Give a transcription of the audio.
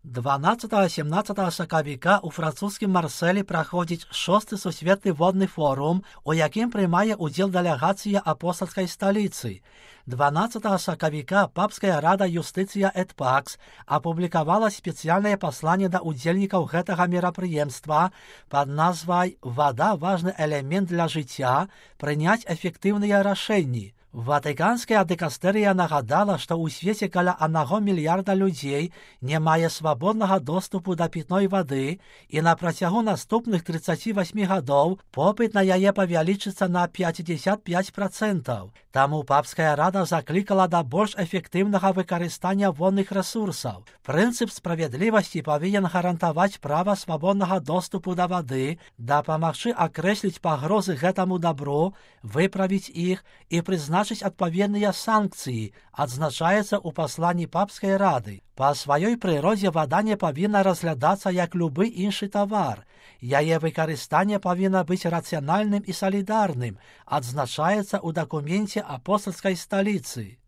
12-17 сакавіка ў французскім Марселі праходзіць 6-й сусветны водны форум, у якім прымае ўдзел дэлегацыя апостальскай сталіцы. 12 сакавіка папская рада юстыцыя эт пакс апублікавала спецыяльнае пасланне да ўдзельнікаў гэтага мерапрыемства пад назвай «Вада – важны элемент для жыцця, прыняць эфектыўныя рашэнні». Ватыканская дыкастэрыя нагадала, што ў свеце каля 1 мільярда людзей не мае свабоднага доступу да пітной вады, і на працягу наступных 38 гадоў попыт на яе павялічыцца на 55%. Таму папская рада заклікала да больш эфектыўнага выкарыстання водных рэсурсаў. Прынцып справядлівасці павінен гарантаваць права свабоднага доступу да вады, дапамагчы акрэсліць пагрозы гэтаму дабру, выправіць іх і прызначыць адпаведныя санкцыі, адзначаецца ў пасланні папскай рады. Па сваёй прыродзе вада не павінна разглядацца як любы іншы тавар. Яе выкарыстанне павінна быць рацыянальным і салідарным, адзначаецца ў дакуменце апостальскай сталіцы.